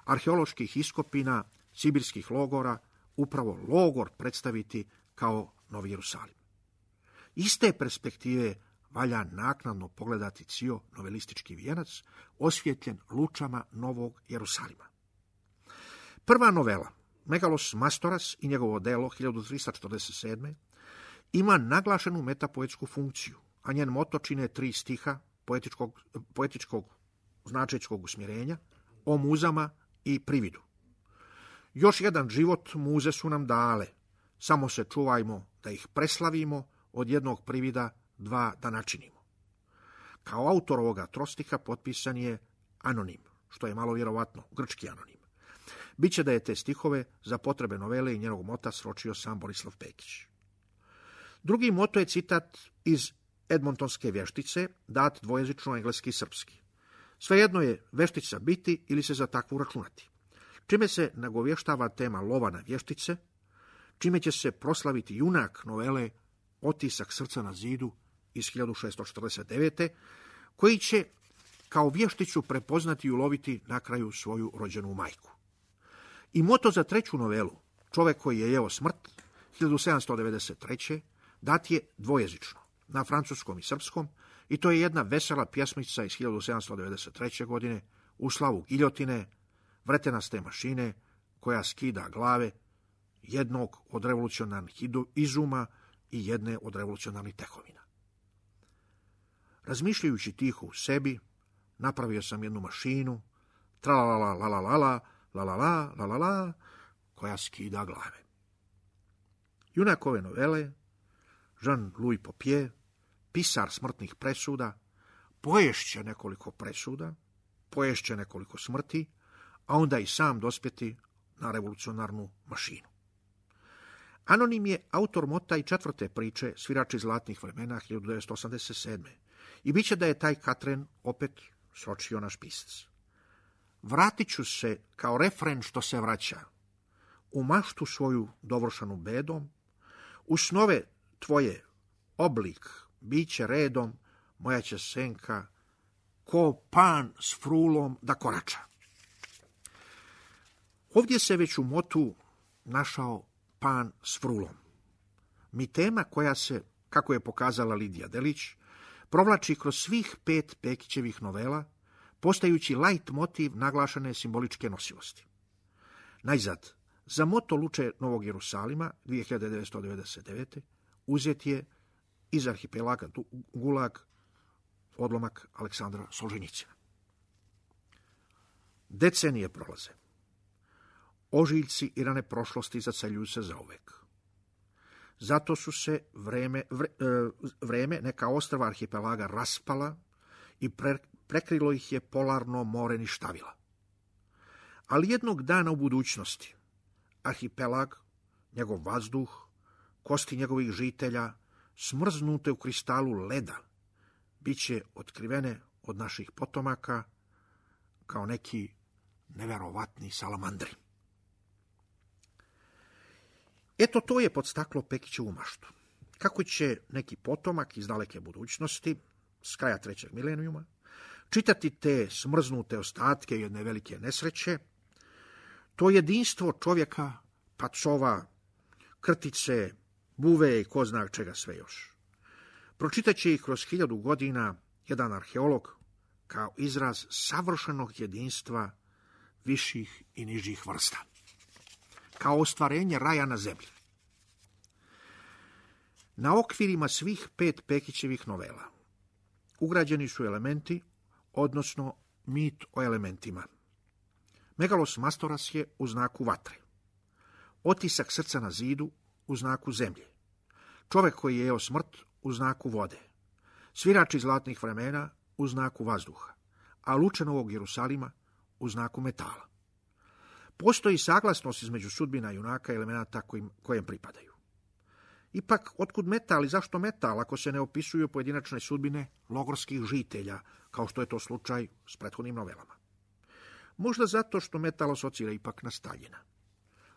arheoloških iskopina, sibirskih logora, upravo logor predstaviti kao Novi Jerusalim. Iz te perspektive valja naknadno pogledati cijel novelistički vijenac, osvjetljen lučama Novog Jerusalima. Prva novela, Megalos Mastoras i njegovo delo hiljadu trista četrdeset sedme. ima naglašenu metapoetsku funkciju, a njen moto čine tri stiha poetičkog, poetičkog značečkog usmjerenja o muzama i prividu. Još jedan život muze su nam dale, samo se čuvajmo da ih preslavimo, od jednog privida dva da načinimo. Kao autor ovoga trostiha potpisan je anonim, što je malo vjerovatno, grčki anonim. Biće da je te stihove za potrebe novele i njenog mota sročio sam Borislav Pekić. Drugi moto je citat iz Edmontonske vještice, dat dvojezično engleski i srpski. Svejedno je veštica biti ili se za takvu računati. Čime se nagovještava tema lova na vještice, čime će se proslaviti junak novele Otisak srca na zidu iz hiljadu šesto četrdeset devete. koji će kao vješticu prepoznati i uloviti na kraju svoju rođenu majku. I moto za treću novelu, Čovjek koji je jeo smrt, hiljadu sedamsto devedeset treće. dat je dvojezično, na francuskom i srpskom, i to je jedna vesela pjesmica iz hiljadu sedamsto devedeset treće. godine u slavu giljotine, vretenaste mašine koja skida glave jednog od revolucionarnih izuma i jedne od revolucionarnih tekovina. Razmišljajući tiho u sebi, napravio sam jednu mašinu, tralalala, la la la la, la la la, la la la, koja skida glave. Junak ove novele, Jean-Louis Popier, pisar smrtnih presuda, poješće nekoliko presuda, poješće nekoliko smrti, a onda i sam dospjeti na revolucionarnu mašinu. Anonim je autor mota i četvrte priče Svirači zlatnih vremena hiljadu devetsto osamdeset sedme. I bit će da je taj Katren opet sročio naš pisac. Vratit ću se kao refren što se vraća, u maštu svoju dovršanu bedom, u snove tvoje oblik biće redom, moja će senka ko pan s frulom da korača. Ovdje se već u motu našao pan s frulom. Mi tema koja se, kako je pokazala Lidija Delić, provlači kroz svih pet Pekićevih novela, postajući lajt motiv naglašene simboličke nosivosti. Najzad, za moto Luče Novog Jerusalima dvije hiljade devetsto devedeset devete. uzet je iz arhipelaga Gulag odlomak Aleksandra Solženjicina. Decenije prolaze. Ožiljci i rane prošlosti zacaljuju se zauvek. Zato su se vreme, vre, vreme neka ostrva arhipelaga raspala i pre, prekrilo ih je polarno more ništavila. Ali jednog dana u budućnosti arhipelag, njegov vazduh, kosti njegovih žitelja, smrznute u kristalu leda, bit će otkrivene od naših potomaka kao neki neverovatni salamandri. Eto, to je podstaklo Pekićevu maštu. Kako će neki potomak iz daleke budućnosti, s kraja trećeg milenijuma, čitati te smrznute ostatke jedne velike nesreće, to jedinstvo čovjeka, pacova, krtice, buve i ko zna čega sve još. Pročitat će ih kroz hiljadu godina jedan arheolog kao izraz savršenog jedinstva viših i nižih vrsta, kao ostvarenje raja na zemlji. Na okvirima svih pet Pekićevih novela ugrađeni su elementi, odnosno mit o elementima. Megalos Mastoras je u znaku vatre, otisak srca na zidu u znaku zemlje, čovjek koji je jeo smrt u znaku vode, svirač iz zlatnih vremena u znaku vazduha, a Luče Novog Jerusalima u znaku metala. Postoji saglasnost između sudbina junaka i elemenata kojim, kojem pripadaju. Ipak, otkud metal i zašto metal ako se ne opisuju pojedinačne sudbine logorskih žitelja, kao što je to slučaj s prethodnim novelama? Možda zato što metal asocira ipak na Staljina.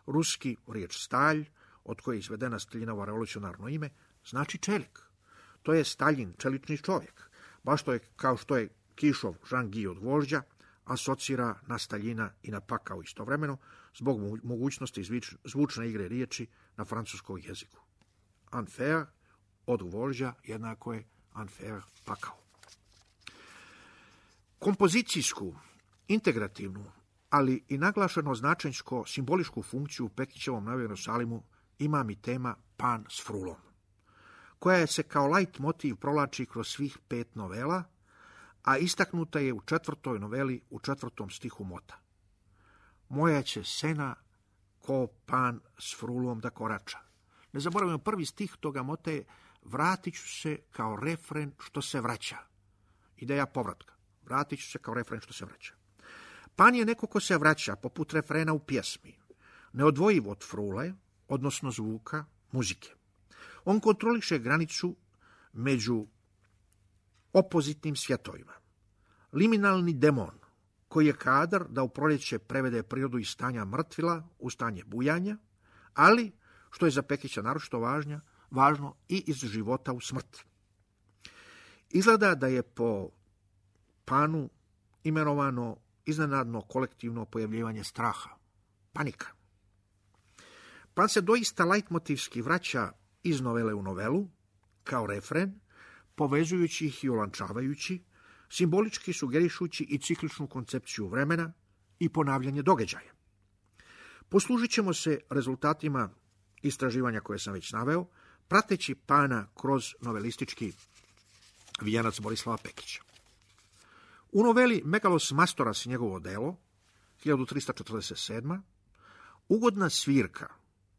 Ruski riječ stalj, od koje je izvedena Staljinovo revolucionarno ime, znači čelik. To je Staljin, čelični čovjek, baš to je kao što je Kišov Žan-Gi od vožđa, asocira na Staljina i na pakao istovremeno, zbog mogućnosti zvučne igre riječi na francuskom jeziku. Enfer od vožđa jednako je enfer pakao. Kompozicijsku, integrativnu, ali i naglašeno značenjsko simboličku funkciju u Pekićevom Novom Jerusalimu ima mi tema pan s frulom, koja se kao lajt motiv provlači kroz svih pet novela, a istaknuta je u četvrtoj noveli u četvrtom stihu mota. Moja će sena ko pan s frulom da korača. Ne zaboravimo, prvi stih toga mota je vratit ću se kao refren što se vraća. Ideja povratka. Vratit ću se kao refren što se vraća. Pan je neko ko se vraća, poput refrena u pjesmi, neodvojiv od frule, odnosno zvuka, muzike. On kontroliše granicu među opozitnim svjetovima. Liminalni demon, koji je kadar da u proljeće prevede prirodu iz stanja mrtvila u stanje bujanja, ali, što je za Pekića naročito važnja, važno i iz života u smrt. Izgleda da je po panu imenovano iznenadno kolektivno pojavljivanje straha, panika. Pan se doista lajtmotivski vraća iz novele u novelu, kao refren, povezujući ih i olančavajući, simbolički sugerišući i cikličnu koncepciju vremena i ponavljanje događaja. Poslužit ćemo se rezultatima istraživanja koje sam već naveo, prateći pana kroz novelistički vijanac Borislava Pekića. U noveli Megalos Mastoras i njegovo delo, hiljadu trista četrdeset sedma. ugodna svirka,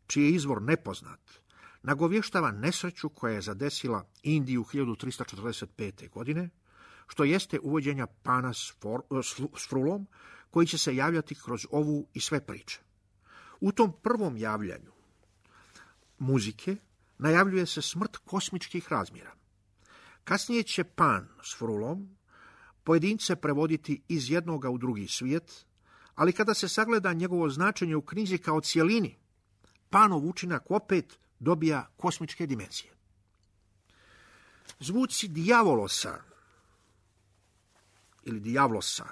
čiji je izvor nepoznat, nagovještava nesreću koja je zadesila Indiju hiljadu trista četrdeset pete. godine, što jeste uvođenja pana s, for, s frulom, koji će se javljati kroz ovu i sve priče. U tom prvom javljanju muzike najavljuje se smrt kosmičkih razmjera. Kasnije će pan s frulom pojedince prevoditi iz jednoga u drugi svijet, ali kada se sagleda njegovo značenje u knjizi kao cijelini, panov učinak opet dobija kosmičke dimenzije. Zvuci dijavolosa ili Diavlosa,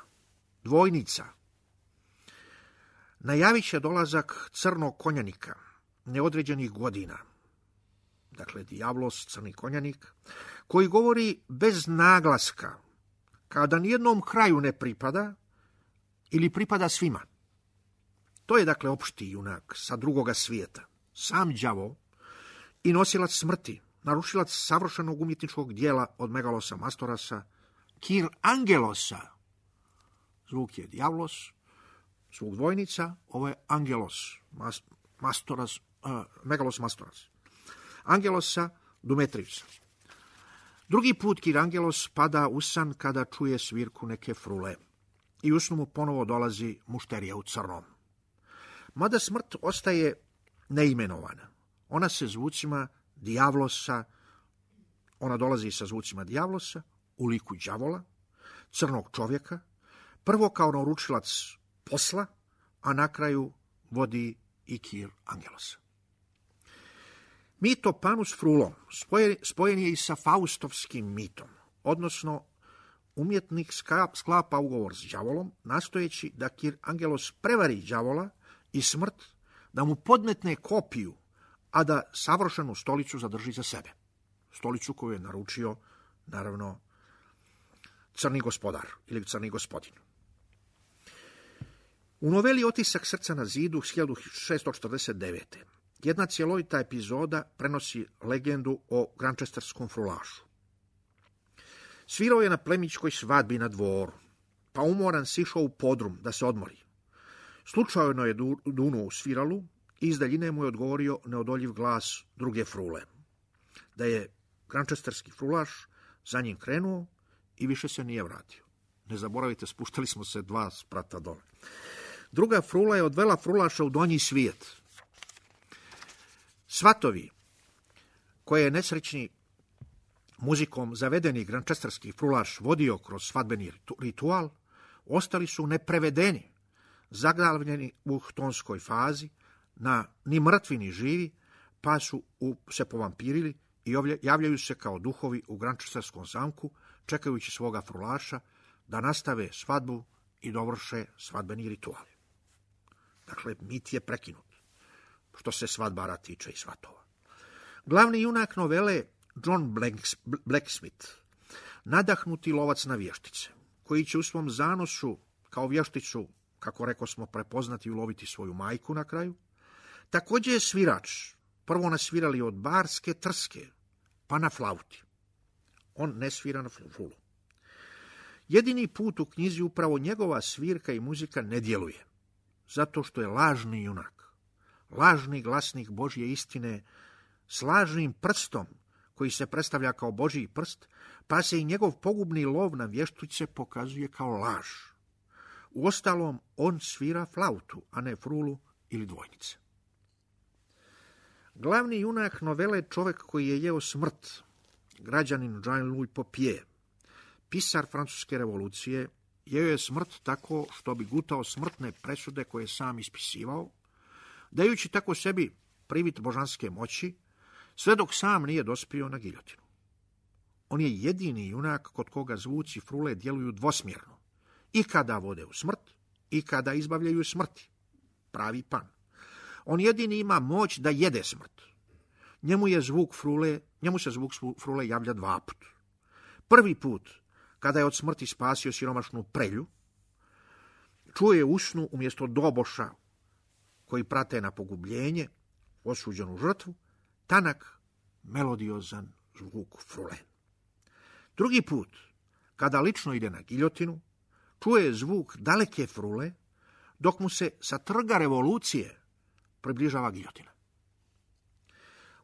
dvojnica, najavit će dolazak crnog konjanika neodređenih godina. Dakle, Diavlos, crni konjanik, koji govori bez naglaska, kao da nijednom kraju ne pripada ili pripada svima. To je, dakle, opšti junak sa drugoga svijeta, sam đavo i nosilac smrti, narušilac savršenog umjetničkog dijela od Megalosa Mastorasa, Kir Angelosa. Zvuk je Diavlos, zvuk dvojnica, ovo je Angelos, mas, Mastoras, uh, Megalos Mastoras. Angelosa Dumetrivca. Drugi put Kir Angelos pada u san kada čuje svirku neke frule i u snu mu ponovo dolazi mušterija u crnom. Mada smrt ostaje neimenovana. Ona se zvucima Diavlosa, ona dolazi sa zvucima Diavlosa u liku đavola, crnog čovjeka, prvo kao naručilac posla, a na kraju vodi i Kir Angelosa. Mit o panu s frulom spojen je i sa faustovskim mitom, odnosno umjetnik sklapa ugovor s đavolom, nastojeći da Kir Angelos prevari đavola i smrt, da mu podmetne kopiju, a da savršenu stolicu zadrži za sebe. Stolicu koju je naručio, naravno, crni gospodar ili crni gospodin. U noveli Otisak srca na zidu hiljadu šeststo četrdeset devete. jedna cjelovita epizoda prenosi legendu o grančesterskom frulašu. Svirao je na plemićkoj svadbi na dvoru, pa umoran sišao u podrum da se odmori. Slučajno je dunuo u sviralu i iz daljine mu je odgovorio neodoljiv glas druge frule. Da je grančesterski frulaš za njim krenuo i više se nije vratio. Ne zaboravite, spuštali smo se dva sprata dole. Druga frula je odvela frulaša u donji svijet. Svatovi, koje je nesrećni muzikom zavedeni grančesterski frulaš vodio kroz svadbeni ritual, ostali su neprevedeni, zaglavljeni u htonskoj fazi, na ni mrtvi ni živi, pa su u, se povampirili i javljaju se kao duhovi u grančesterskom zamku, čekajući svoga frulaša da nastave svadbu i dovrše svadbeni ritual. Dakle, mit je prekinut, što se svadbara tiče i svatova. Glavni junak novele John Blacksmith, nadahnuti lovac na vještice, koji će u svom zanosu kao vješticu, kako reko smo, prepoznati i uloviti svoju majku na kraju, također je svirač, prvo nasvirali od barske trske, pa na flauti. On ne svira na flulu. Jedini put u knjizi upravo njegova svirka i muzika ne djeluje, zato što je lažni junak, lažni glasnik Božje istine, s lažnim prstom, koji se predstavlja kao Božji prst, pa se i njegov pogubni lov na vještice pokazuje kao laž. Uostalom, on svira flautu, a ne frulu ili dvojnice. Glavni junak novele je čovjek koji je jeo smrt, građanin Jean-Louis Popier, pisar francuske revolucije, jeo je smrt tako što bi gutao smrtne presude koje je sam ispisivao, dajući tako sebi privid božanske moći, sve dok sam nije dospio na giljotinu. On je jedini junak kod koga zvuci frule djeluju dvosmjerno, i kada vode u smrt, i kada izbavljaju smrti. Pravi pan. On jedini ima moć da jede smrt. Njemu je zvuk frule, njemu se zvuk frule javlja dva put. Prvi put, kada je od smrti spasio siromašnu prelju, čuje u snu umjesto doboša koji prate na pogubljenje, osuđenu žrtvu, tanak, melodiozan zvuk frule. Drugi put, kada lično ide na giljotinu, čuje zvuk daleke frule, dok mu se sa trga revolucije približava giljotina.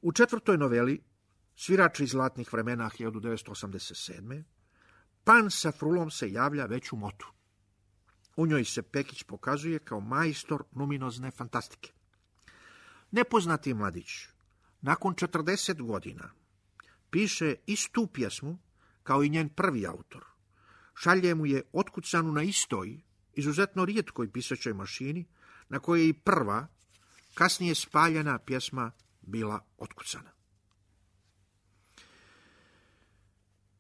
U četvrtoj noveli, svirač iz zlatnih vremena hiljadu devetsto osamdeset sedme, pan sa frulom se javlja već u motu. U njoj se Pekić pokazuje kao majstor numinozne fantastike. Nepoznati mladić, nakon četrdeset godina, piše istu pjesmu kao i njen prvi autor. Šalje mu je otkucanu na istoj, izuzetno rijetkoj pisaćoj mašini, na kojoj je i prva, kasnije spaljena pjesma bila otkucana.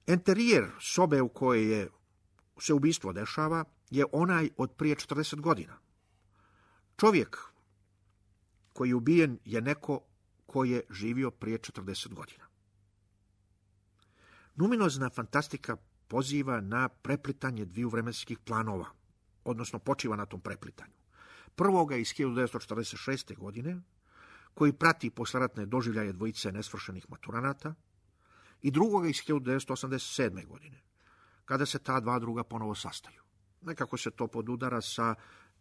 Enterijer sobe u kojoj je se ubistvo dešava je onaj od prije četrdeset godina. Čovjek koji je ubijen je neko ko je živio prije četrdeset godina. Numinozna fantastika poziva na preplitanje dviju vremenskih planova, odnosno počiva na tom preplitanju. Prvoga iz hiljadu devetsto četrdeset šeste. godine, koji prati posleratne doživljaje dvojice nesvršenih maturanata, i drugoga iz hiljadu devetsto osamdeset sedme. godine, kada se ta dva druga ponovo sastaju. Nekako se to podudara sa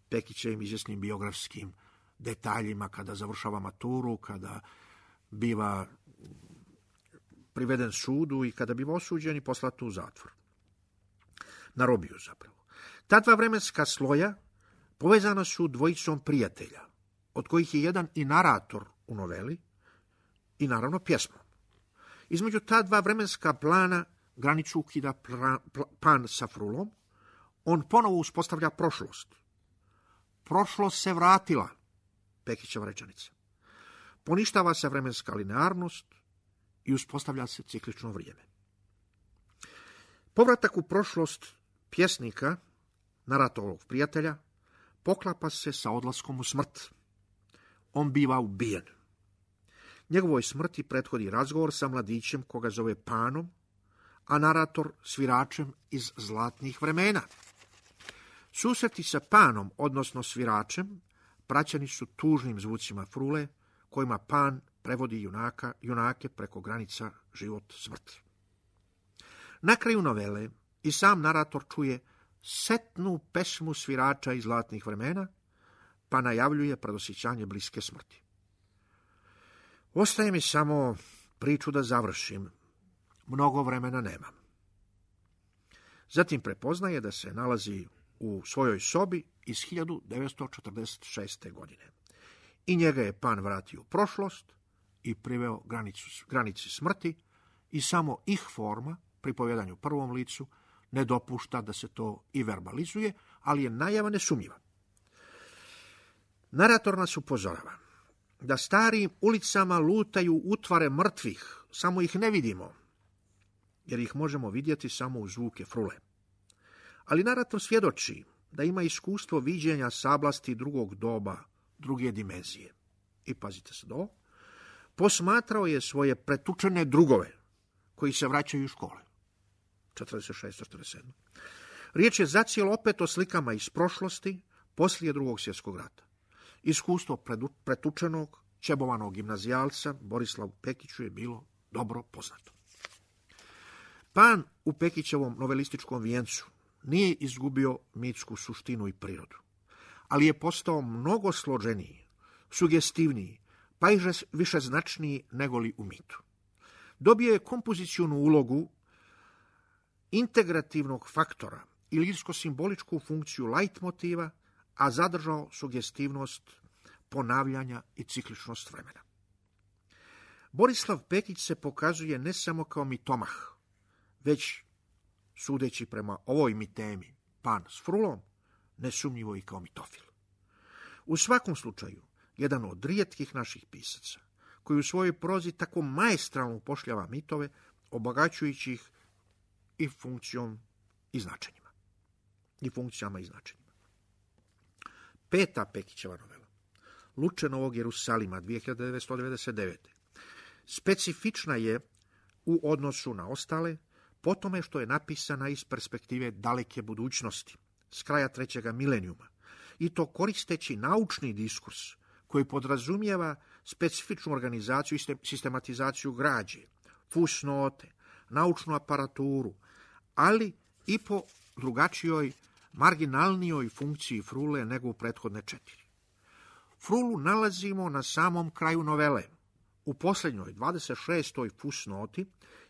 Pekićevim izvjesnim biografskim detaljima kada završava maturu, kada biva priveden sudu i kada biva osuđen i poslat u zatvor. Na robiju zapravo. Ta dva vremenska sloja povezana su dvojicom prijatelja, od kojih je jedan i narator u noveli i naravno pjesmom. Između ta dva vremenska plana granicu ukida Pan sa Frulom, on ponovo uspostavlja prošlost. Prošlost se vratila, Pekićeva rečenica. Poništava se vremenska linearnost i uspostavlja se ciklično vrijeme. Povratak u prošlost pjesnika, naratorovog prijatelja, poklapa se sa odlaskom u smrt. On biva ubijen. Njegovoj smrti prethodi razgovor sa mladićem koga zove Panom, a narator sviračem iz zlatnih vremena. Susreti sa Panom, odnosno sviračem, praćeni su tužnim zvucima Frule, kojima Pan prevodi junaka, junake preko granica život-smrt. Na kraju novele i sam narator čuje setnu pesmu svirača iz zlatnih vremena, pa najavljuje predosjećanje bliske smrti. Ostaje mi samo priču da završim. Mnogo vremena nemam. Zatim prepoznaje da se nalazi u svojoj sobi iz hiljadu devetsto četrdeset šeste. godine. I njega je Pan vratio u prošlost i priveo granicu, granici smrti i samo ih forma, pri povjedanju prvom licu, ne dopušta da se to i verbalizuje, ali je najava nesumnjiva. Narator nas upozorava da starim ulicama lutaju utvare mrtvih, samo ih ne vidimo, jer ih možemo vidjeti samo u zvuke Frule. Ali narator svjedoči da ima iskustvo viđenja sablasti drugog doba, druge dimenzije. I pazite se do, posmatrao je svoje pretučene drugove, koji se vraćaju u škole. četrdeset šeste četrdeset sedme. Riječ je zacijelo opet o slikama iz prošlosti, poslije drugog svjetskog rata. Iskustvo pretučenog, čebovanog gimnazijalca Borislavu Pekiću je bilo dobro poznato. Pan u Pekićevom novelističkom vijencu nije izgubio mitsku suštinu i prirodu, ali je postao mnogo složeniji, sugestivniji, pa i višeznačniji negoli u mitu. Dobio je kompozicijonu ulogu integrativnog faktora i lirsko-simboličku funkciju leitmotiva, a zadržao sugestivnost ponavljanja i cikličnost vremena. Borislav Pekić se pokazuje ne samo kao mitomah, već, sudeći prema ovoj mitemi, Pan s Frulom, nesumnjivo i kao mitofil. U svakom slučaju, jedan od rijetkih naših pisaca, koji u svojoj prozi tako maestralno upošljava mitove, obogaćujući ih i funkcijom i značenjima. I funkcijama i značenjima. Peta Pekićeva novela, Luče Novog Jerusalima, dvije hiljade devetsto devedeset devete. Specifična je u odnosu na ostale, po tome što je napisana iz perspektive daleke budućnosti, s kraja trećega milenijuma, i to koristeći naučni diskurs koji podrazumijeva specifičnu organizaciju i sistematizaciju građe, fusnote, naučnu aparaturu, ali i po drugačijoj, marginalnijoj funkciji Frule nego u prethodne četiri. Frulu nalazimo na samom kraju novele, u posljednjoj dvadeset šestoj fusnoti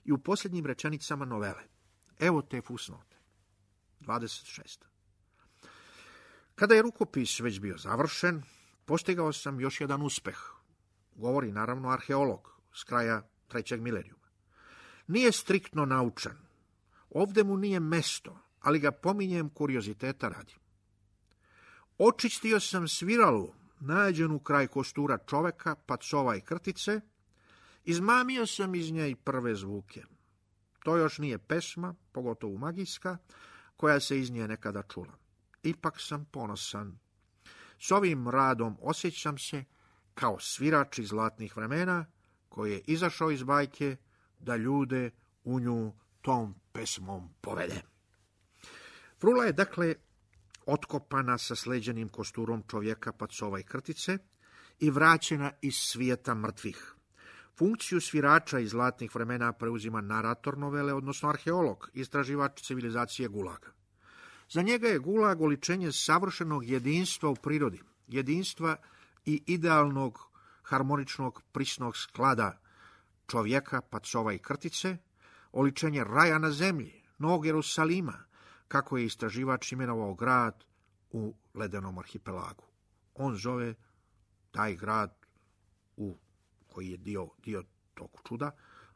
i u posljednjim rečenicama novele. Evo te fusnote. dvadeset šesta. Kada je rukopis već bio završen, postigao sam još jedan uspeh. Govori naravno arheolog s kraja trećeg milenijuma. Nije striktno naučan. Ovdje mu nije mesto, ali ga pominjem kurioziteta radi. Očistio sam sviralu, nađenu kraj kostura čoveka, pacova i krtice, izmamio sam iz nje i prve zvuke. To još nije pesma, pogotovo magijska, koja se iz nje nekada čula. Ipak sam ponosan. S ovim radom osjećam se kao svirač iz zlatnih vremena koji je izašao iz bajke da ljude u nju tom pesmom povede. Frula je dakle otkopana sa sleđenim kosturom čovjeka, pacova i krtice i vraćena iz svijeta mrtvih. Funkciju svirača iz zlatnih vremena preuzima narator novele, odnosno arheolog, istraživač civilizacije Gulaga. Za njega je Gulag oličenje savršenog jedinstva u prirodi, jedinstva i idealnog harmoničnog prisnog sklada čovjeka, pacova i krtice, oličenje raja na zemlji, Novog Jerusalima, kako je istraživač imenovao grad u ledenom arhipelagu. On zove taj grad, u koji je dio, dio tog čuda,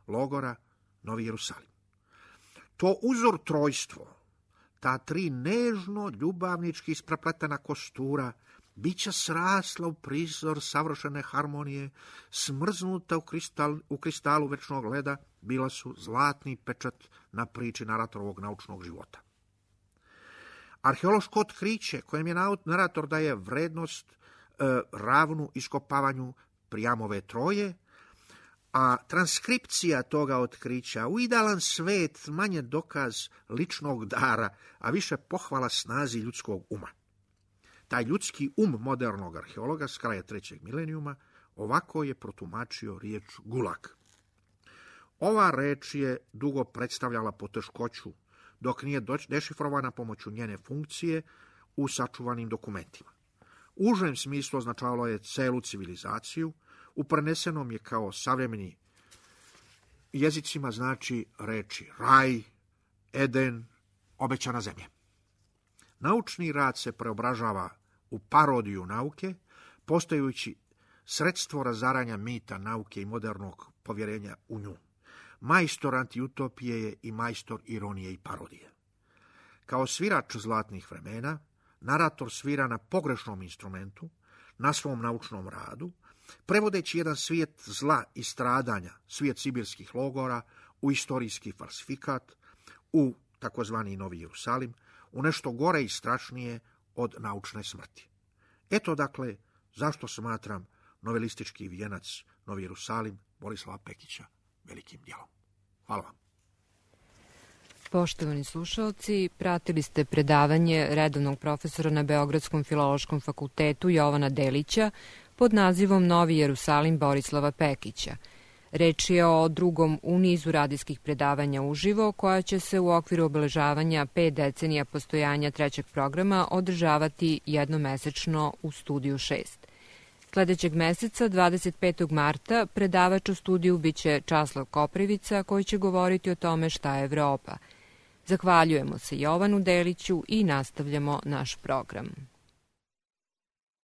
logora, Novi Jerusalim. To uzor trojstvo, ta tri nežno ljubavnički isprepletena kostura, bića srasla u prizor savršene harmonije, smrznuta u, kristal, u kristalu večnog leda, bila su zlatni pečat na priči naratorovog naučnog života. Arheološko otkriće kojem je narator daje vrednost e, ravnu iskopavanju Prijamove troje, a transkripcija toga otkrića u idealan svet manje dokaz ličnog dara, a više pohvala snazi ljudskog uma. Taj ljudski um modernog arheologa s kraja trećeg milenijuma ovako je protumačio riječ gulag. Ova reč je dugo predstavljala poteškoću, dok nije dešifrovana pomoću njene funkcije u sačuvanim dokumentima. U užem smislu označavalo je celu civilizaciju, u prenesenom je kao savremeni jezicima znači reči raj, Eden, obećana zemlja. Naučni rad se preobražava u parodiju nauke, postajući sredstvo razaranja mita nauke i modernog povjerenja u nju. Majstor antiutopije je i majstor ironije i parodije. Kao svirač zlatnih vremena, narator svira na pogrešnom instrumentu, na svom naučnom radu, prevodeći jedan svijet zla i stradanja, svijet sibirskih logora, u istorijski falsifikat, u takozvani Novi Jerusalim, u nešto gore i strašnije od naučne smrti. Eto dakle, zašto smatram novelistički vijenac Novi Jerusalim Borislava Pekića velikim djelom. Hvala vam. Poštovani slušalci, pratili ste predavanje redovnog profesora na Beogradskom filološkom fakultetu Jovana Delića pod nazivom Novi Jerusalim Borislava Pekića. Reč je o drugom u nizu radijskih predavanja uživo, koja će se u okviru obeležavanja pet decenija postojanja trećeg programa održavati jednomesečno u Studiju šest. Sledećeg meseca, dvadeset petog marta, predavač u studiju biće Časlav Koprivica, koji će govoriti o tome šta je Evropa. Zahvaljujemo se Jovanu Deliću i nastavljamo naš program.